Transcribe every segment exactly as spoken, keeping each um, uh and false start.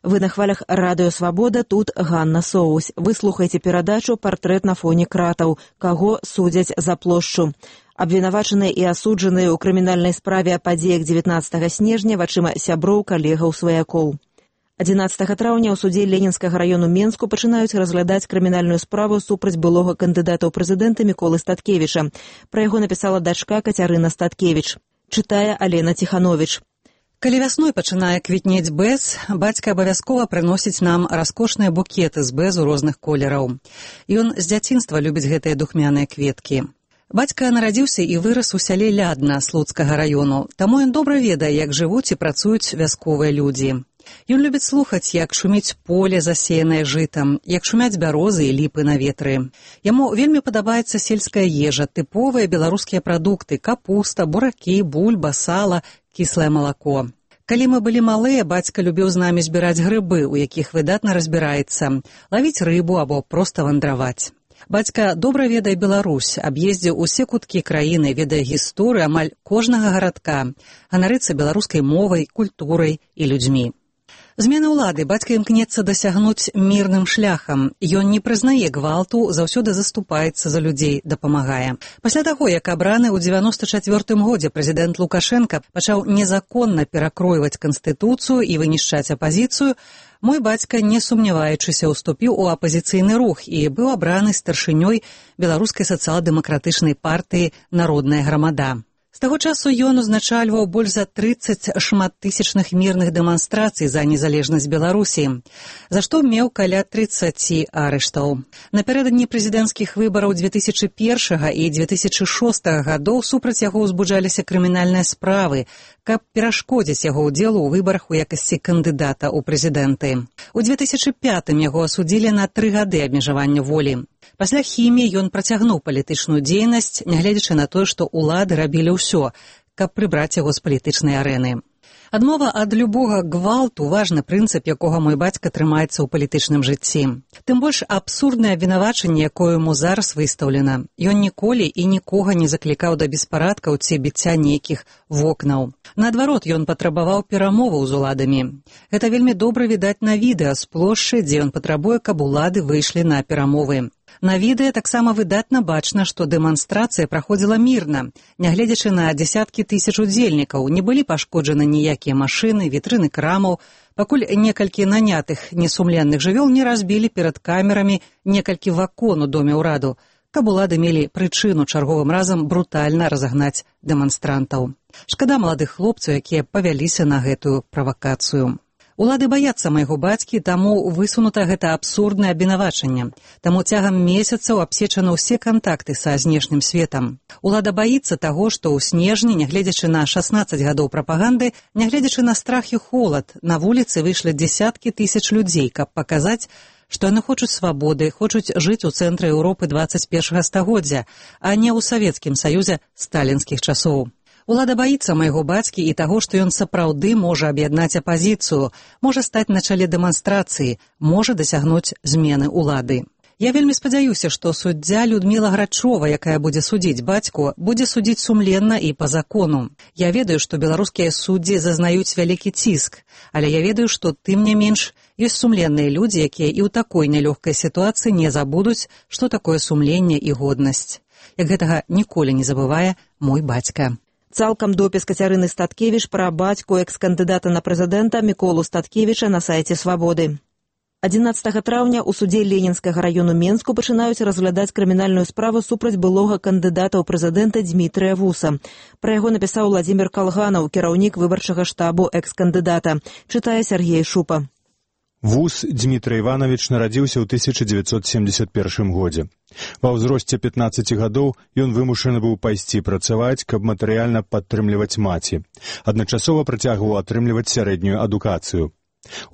Вы на хвалях Радыё Свабода, тут Ганна Соусь. Вы слухаеце перадачу «Партрэт на фоне кратаў. Каго судзяць за плошчу». Абвінавачаныя і асуджаныя ў крымінальнай справе о падзеях дзевятнаццатага снежня вачыма сяброў, калегаў, сваякоў. адзінаццатага траўня ў судзе Ленінскага раёну Менску пачынаюць разглядаць крымінальную справу супраць былога кандыдата ў прэзідэнты Міколы Статкевіча. Пра яго напісала дачка Кацярына Статкевіч. Чытае Алена Ціхановіч. Калі вясной пачынае квітнець бэз, бацька абавязкова прыносіць нам раскошныя букеты з бэзу розных колераў. Ён з дзяцінства любіць гэтыя духмяныя кветкі. Бацька нарадзіўся і вырас у сяле Лядна Слуцкага раёну, таму ён добра ведае, як жывуць і працуюць вясковыя людзі. Ён любіць слухаць, як шуміць поле, засеянае жытам, як шумяць бярозы і ліпы на ветры. Яму вельмі падабаецца сельская ежа, тыповыя беларускія прадукты, капуста, буракі, бульба, сала, кіслае малако. Калі мы былі малыя, бацька любіў з намі збіраць грыбы, у якіх выдатна разбіраецца, лавіць рыбу або проста вандраваць. Бацька добра ведае Беларусь, аб'ездзіў усе куткі краіны, ведае гісторыю амаль кожнага гарадка, ганарыцца беларускай мовай, культурай і людзьмі. Змены ўлады бацька імкнецца дасягнуць мірным шляхам. Ён не прызнае гвалту, заўсёды заступаецца за людзей, дапамагае. Пасля таго, як абраны ў дзевяноста чацвёртым годзе прэзідэнт Лукашенка пачаў незаконна перакройваць канстытуцыю і вынішчаць апазіцыю, мой бацька, не сумняваючыся, уступіў у апазіцыйны рух і быў абраны старшынёй беларускай сацыял-дэмакратычнай партыі «Народная грамада». З таго часу ён узначальваў больш за трыццаць шматтысячных мірных дэманстрацый за незалежнасць Беларусі, за што меў каля трыццаці арыштаў. Напярэдадні прэзідэнцкіх выбараў дзве тысячы першага і дзве тысячы шостага гадоў супраць яго ўзбуджаліся крымінальныя справы, каб перашкодзіць яго ўдзелу ў выбарах у якасці кандыдата ў прэзідэнты. У дзве тысячы пятым яго асудзілі на тры гады абмежавання волі. Пасля хіміі ён працягнуў палітычную дзейнасць, нягледзячы на тое, што ўлады рабілі ўсё, каб прыбраць яго з палітычнай арэны. Адмова ад любога гвалту – важны прынцып, якога мой бацька трымаецца ў палітычным жыцці. Тым больш абсурднае абвінавачанне, якое яму зараз выстаўлена. Ён ніколі і нікога не заклікаў да беспарадкаў ці біцця нейкіх вокнаў. Наадварот, ён патрабаваў перамоваў з уладамі. Гэта вельмі добра відаць на відэа з плошчы, дзе ён патрабуе, каб улады выйшлі на перамовы. На відэа таксама выдатна бачна, што дэманстрацыя праходзіла мірна. Нягледзячы на дзесяткі тысяч удзельнікаў, не былі пашкоджаны ніякія машыны, вітрыны крамаў, пакуль некалькі нанятых несумленных жывёл не разбілі перад камерамі некалькі вакон у доме ўраду, каб улады мелі прычыну чарговым разам брутальна разагнаць дэманстрантаў. Шкада маладых хлопцаў, якія павяліся на гэтую правакацыю. Улады баяцца майго бацькі, таму высунута гэта абсурднае абвінавачанне. Таму цягам месяцаў абсечаны ўсе кантакты са знешнім светам. Улада баіцца таго, што ў снежні, нягледзячы на шаснаццаць гадоў прапаганды, нягледзячы на страх і холад, на вуліцы выйшлі дзесяткі тысяч людзей, каб паказаць, што яны хочуць свабоды, хочуць жыць у цэнтры Еўропы дваццаць першага стагоддзя, а не ў Савецкім Саюзе сталінскіх часоў. Улада баіцца майго бацькі і таго, што ён сапраўды можа аб'яднаць апазіцыю, можа стаць на чале дэманстрацыі, можа дасягнуць змены ўлады. Я вельмі спадзяюся, што суддзя Людміла Грачова, якая будзе судзіць бацьку, будзе судзіць сумленна і па закону. Я ведаю, што беларускія суддзі зазнаюць вялікі ціск, але я ведаю, што тым не менш ёсць сумленныя людзі, якія і ў такой нялёгкай сітуацыі не забудуць, што такое сумленне і годнасць. Як гэтага ніколі не забывае мой бацька. Цалкам допіс Кацярыны Статкевіч пра бацьку экс-кандыдата на прэзідэнта Міколу Статкевіча на сайце «Свабоды». адзінаццатага траўня ў судзе Ленінскага раёну Менску пачынаюць разглядаць крымінальную справу супраць былога кандыдата ў прэзідэнта Дзмітрыя Вуса. Пра яго напісаў Владзімір Калганаў, кіраўнік выбарчага штабу экс-кандыдата. Чытае Сергей Шупа. Вус Дмітрый Іванович нарадзіўся ў тысяча дзевяцьсот семьдесят першым годзе. Ва ўзросце пятнаццаці гадоў ён вымушаны быў пайсці працаваць, каб матэрыяльна падтрымліваць маці. Адначасова працягваў атрымліваць сярэднюю адукацыю.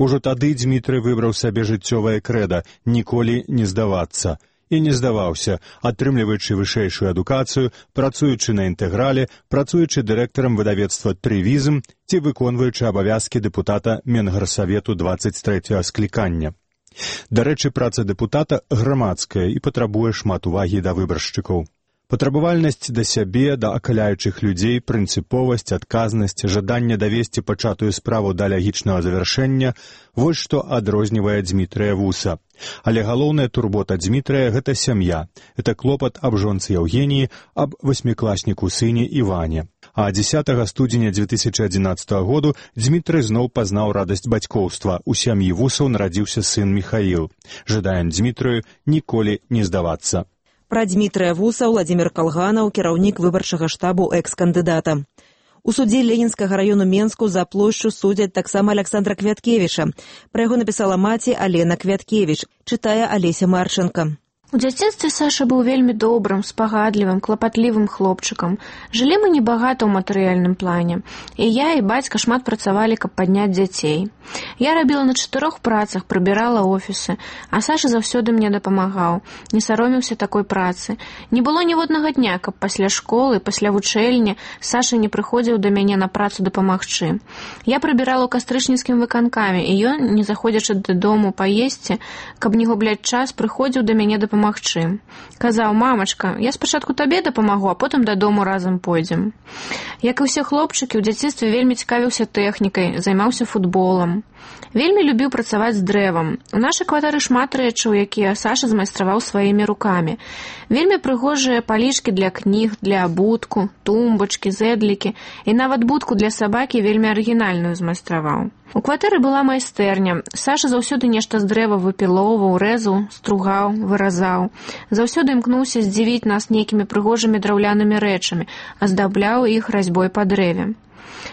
Ужо тады Дмітрый выбраў сабе жыццёвае крэда «ніколі не здавацца». І не здаваўся, атрымліваючы вышэйшую адукацыю, працуючы на інтэграле, працуючы дырэктарам выдавецтва «Трывізм» ці выконваючы абавязкі дэпутата Менгарсавету дваццаць трэцяга склікання. Дарэчы, праца дэпутата грамадская і патрабуе шмат увагі да выбаршчыкаў. Патрабавальнасць да сябе, да акаляючых людзей, прынцыповасць, адказнасць, жаданне давесці пачатую справу да лягічнага завяршэння – вось што адрознівае Дзмітрыя Вуса. Але галоўная турбота Дзмітрыя – гэта сям'я. Это клопат аб жонцы Яўгеніі, аб васьмікласніку сыне Іване. А дзесятага студзеня дзве тысячы адзінаццатага году Дзмітрый зноў пазнаў радасць бацькоўства. У сям'і Вусаў нарадзіўся сын Міхаіл. Жадаем Дзмітрыю ніколі не здавацца. Пра Дзмітрыя Вуса Владзімір Калганаў, кіраўнік выбарчага штабу экс-кандыдата. У судзе Ленінскага раёну Менску за плошчу судзяць таксама Аляксандра Квяткевіча. Пра яго напісала маці Алена Квяткевіч, чытае Алеся Марченко. У дзяцінстве Саша быў вельмі добрым, спагадлівым, клапатлівым хлопчыкам. Жылі мы небагата ў матэрыяльным плане. І я, і бацька шмат працавалі, каб падняць дзяцей. Я рабіла на чатырох працах, прыбірала офісы, а Саша заўсёды мне дапамагаў, не саромеўся такой працы. Не было ніводнага дня, каб пасля школы, пасля вучэльні Саша не прыходзіў да мяне на працу дапамагчы. Я прыбірала ў кастрычніцкім выканкаме, і ён, не заходзячы дадому паесці, каб не губляць час, прыходзіў да мяне дапамагчы. Магчым. Казаў: «Мамачка, я спачатку табе дапамагу, а потым дадому разам пойдзем». Як і ўсе хлопчыкі, у дзяцінстве вельмі цікавіўся тэхнікай, займаўся футболам. Вельмі любіў працаваць з дрэвам. У нашай кватэры шмат рэчаў, якія Саша змайстраваў сваімі рукамі. Вельмі прыгожыя палічкі для кніг, для абутку, тумбачкі, зэдлікі і нават будку для сабакі вельмі арыгінальную змайстраваў. У кватэры была майстэрня. Саша заўсёды нешта з дрэва выпілоўваў, рэзаў, стругаў, выразаў. Заўсёды імкнуўся здзівіць нас нейкімі прыгожымі драўлянымі рэчамі, аздабляў іх разьбой па дрэве.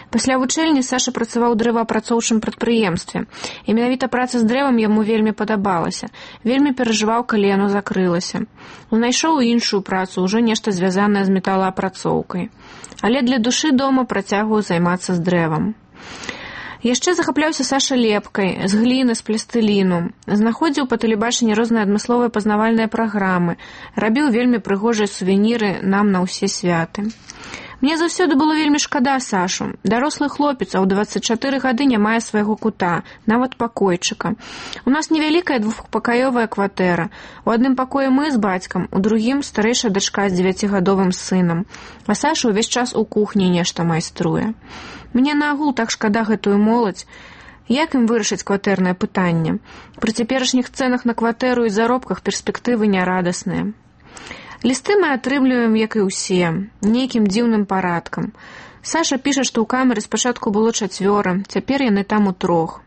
Пасля вучэльні Саша працаваў у дрэваапрацоўчым прадпрыемстве. І менавіта праца з дрэвам яму вельмі падабалася. Вельмі перажываў, калі яно закрылася. Знайшоў іншую працу, ужо нешта звязанае з металаапрацоўкай. Але для душы дома працягваў займацца з дрэвам. Яшчэ захапляўся Саша лепкай, з гліны, з пластыліну. Знаходзіў па тэлебачанні розныя адмысловыя пазнавальныя праграмы. Рабіў вельмі прыгожыя сувеніры нам на ўсе святы. Мне заўсёды было вельмі шкада Сашу. Дарослы хлопец, а ў дваццаць чатыры гады не мае свайго кута, нават пакойчыка. У нас невялікая двухпакаёвая кватэра. У адным пакоі мы з бацькам, у другім старэйшая дачка з дзевяцігадовым сынам. А Саша ўвесь час у кухні нешта майструе. Мне наагул так шкада гэтую моладзь. Як ім вырашыць кватэрнае пытанне? Пры цяперашніх цэнах на кватэру і заробках перспектывы нярадасныя. Лісты мы атрымліваем, як і ўсе, нейкім дзіўным парадкам. Саша піша, што ў камеры спачатку было чацвёра, цяпер яны там у трох.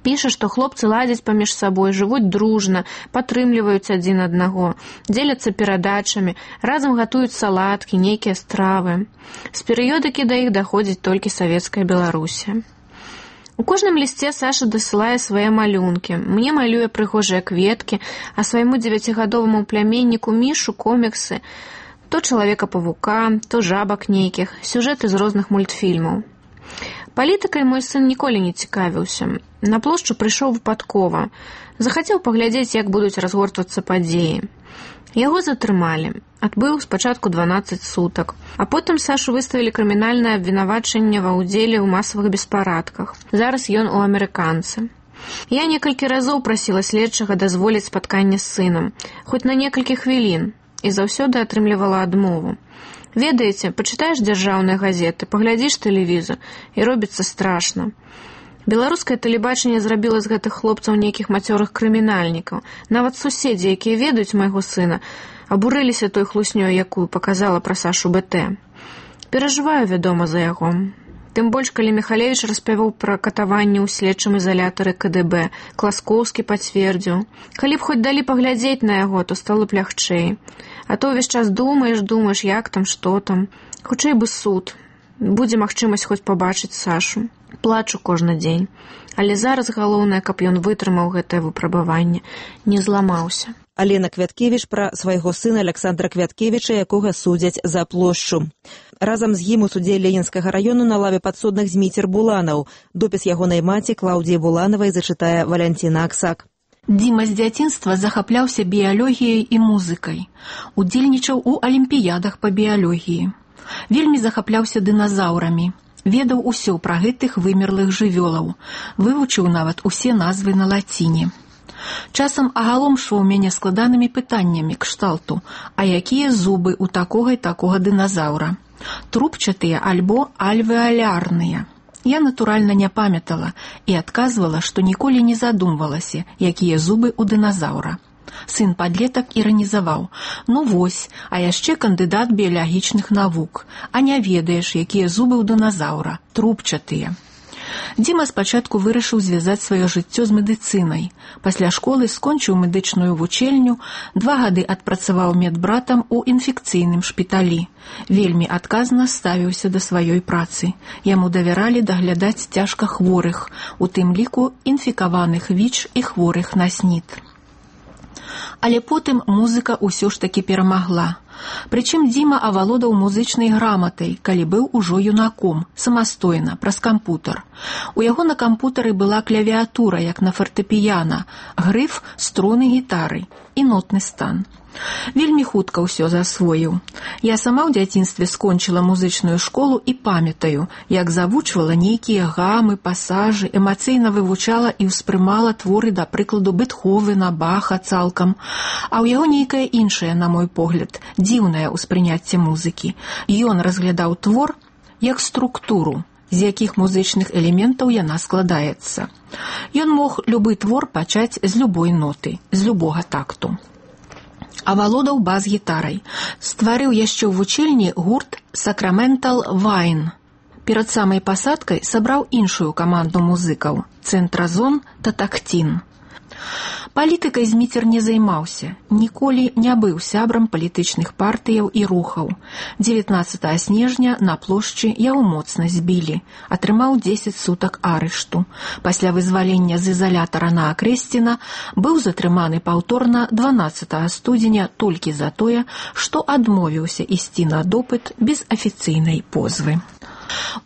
Піша, што хлопцы ладзяць паміж сабой, жывуць дружна, падтрымліваюць адзін аднаго, дзеляцца перадачамі, разам гатуюць салаткі, нейкія стравы. З перыёдыкі да іх даходзіць толькі савецкая Беларусі. У кожным лісце Саша дасылае свае малюнкі. Мне малюе прыгожыя кветкі, а свайму дзевяцігадоваму пляменніку Мішу коміксы. То чалавека-павука, то жабак нейкіх, сюжэты з розных мультфільмаў. Палітыкай мой сын ніколі не цікавіўся. На плошчу прыйшоў выпадкова. Захацеў паглядзець, як будуць разгортвацца падзеі. Яго затрымалі. Адбыў спачатку дванаццаць сутак. А потым Сашу выставілі крымінальнае абвінавачанне ва ўдзеле ў масавых беспарадках. Зараз ён у амерыканцы. Я некалькі разоў прасіла следчага дазволіць спатканне з сынам, хоць на некалькі хвілін, і заўсёды атрымлівала адмову. Ведаеце, пачытаеш дзяржаўныя газеты, паглядзіш тэлевізор, і робіцца страшна. Беларускае тэлебачанне зрабіла з гэтых хлопцаў нейкіх мацёрых крымінальнікаў. Нават суседзі, якія ведаюць майго сына, абурыліся той хлуснёй, якую паказала пра Сашу БТ. Перажываю, вядома, за яго. Тым больш, калі Міхалевіч распяваў пра катаванне ў следчым изалятары КДБ, Класкоўскі пацвердзіў. Калі б хоць далі паглядзець на яго, то стало б лягчэй. А то ўвесь час думаеш, думаеш, як там, што там. Хутчэй бы суд. Будзе магчымасць хоць пабачыць Сашу. Плачу кожны дзень. Але зараз галоўнае, каб ён вытрымаў гэтае выпрабаванне, не зламаўся. Алена Квяткевіч пра свайго сына Аляксандра Квяткевіча, якога судзяць за плошчу. Разам з ім у судзе Ленінскага раёну на лаве падсудных Зміцер Буланаў. Допіс ягонай маці Клаўдіі Буланавай зачытае Валянціна Аксак. Дзіма з дзяцінства захапляўся біялогіяй і музыкай. Удзельнічаў у алімпіядах па біялогіі. Вельмі захапляўся дыназаўрамі. Ведаў усё пра гэтых вымерлых жывёлаў. Вывучыў нават усе назвы на лаціне. Часам агаломшваў мяне складанымі пытаннямі кшталту, а якія зубы ў такога і такога дыназаўра? Трубчатыя альбо альвеалярныя? Я, натуральна, не памятала і адказвала, што ніколі не задумвалася, якія зубы ў дыназаўра. Сын падлетак іранізаваў: «Ну вось, а яшчэ кандыдат біялагічных навук, а не ведаеш, якія зубы ў дыназаўра, трубчатыя». Дзіма спачатку вырашыў звязаць сваё жыццё з медыцынай. Пасля школы скончыў медычную вучэльню, два гады адпрацаваў медбратам у інфекцыйным шпіталі. Вельмі адказна ставіўся да сваёй працы. Яму давяралі даглядаць цяжка хворых, у тым ліку інфікаваных віч і хворых на снід. Але потым музыка ўсё ж такі перамагла. Прычым Дзіма авалодаў музычнай граматай, калі быў ужо юнаком, самастойна, праз кампутар. У яго на кампутары была клавіатура, як на фартэпіяна, грыф, струны гітары і нотны стан. Вельмі хутка ўсё засвоіў. Я сама ў дзяцінстве скончыла музычную школу і памятаю, як завучвала нейкія гамы, пасажы, эмацыйна вывучала і ўспрымала творы, да прыкладу, Бетховена, Баха цалкам. А ў яго нейкае іншае, на мой погляд, дзіўнае ўспрыняцце музыкі. Ён разглядаў твор як структуру, з якіх музычных элементаў яна складаецца. Ён мог любы твор пачаць з любой ноты, з любога такту. Авалодаў бас-гітарай. Стварыў яшчэ ў вучэльні гурт «Сакраментал Вайн». Перад самай пасадкай сабраў іншую каманду музыкаў – «Цэнтразон Татактін». Палітыкай Зміцер не займаўся, ніколі не быў сябрам палітычных партыяў і рухаў. дзевятнаццатага снежня на плошчы яго моцна збілі, атрымаў дзесяць сутак арышту. Пасля вызвалення з ізалятара на Акрэсціна быў затрыманы паўторна дванаццатага студзеня толькі за тое, што адмовіўся ісці на допыт без афіцыйнай позвы.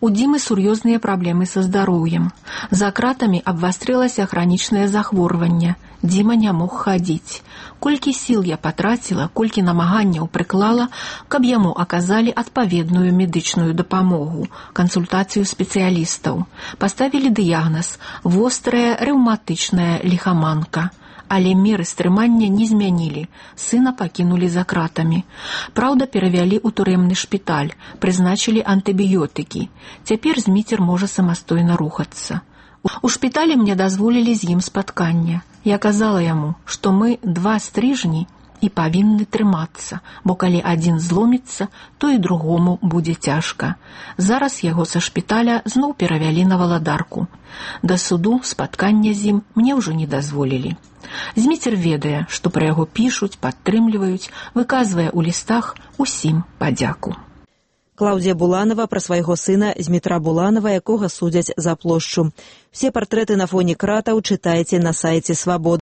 У Дзімы сур'ёзныя праблемы са здароўем. За кратамі абвастрылася хранічнае захворванне. Дзіма не мог хадзіць. Колькі сіл я патраціла, колькі намаганняў прыклала, каб яму аказалі адпаведную медычную дапамогу, кансультацыю спецыялістаў. Паставілі дыягназ – вострая рэўматычная ліхаманка. Але меры стрымання не змянілі, сына пакінулі за кратамі. Праўда, перавялі ў турэмны шпіталь, прызначылі антыбіётыкі. Цяпер Зміцер можа самастойна рухацца. У шпіталі мне дазволілі з ім спатканне. Я казала яму, што мы два стрыжні і павінны трымацца, бо калі адзін зломіцца, то і другому будзе цяжка. Зараз яго са шпіталя зноў перавялі на Валадарку. Да суду спаткання з ім мне ўжо не дазволілі. Зміцер ведае, што пра яго пішуць, падтрымліваюць, выказвае ў лістах усім падзяку. Клаўдзія Буланова пра свайго сына Змітра Буланова, якога судзяць за плошчу. Все партрэты на фоне кратаў чытайце на сайце «Свабода».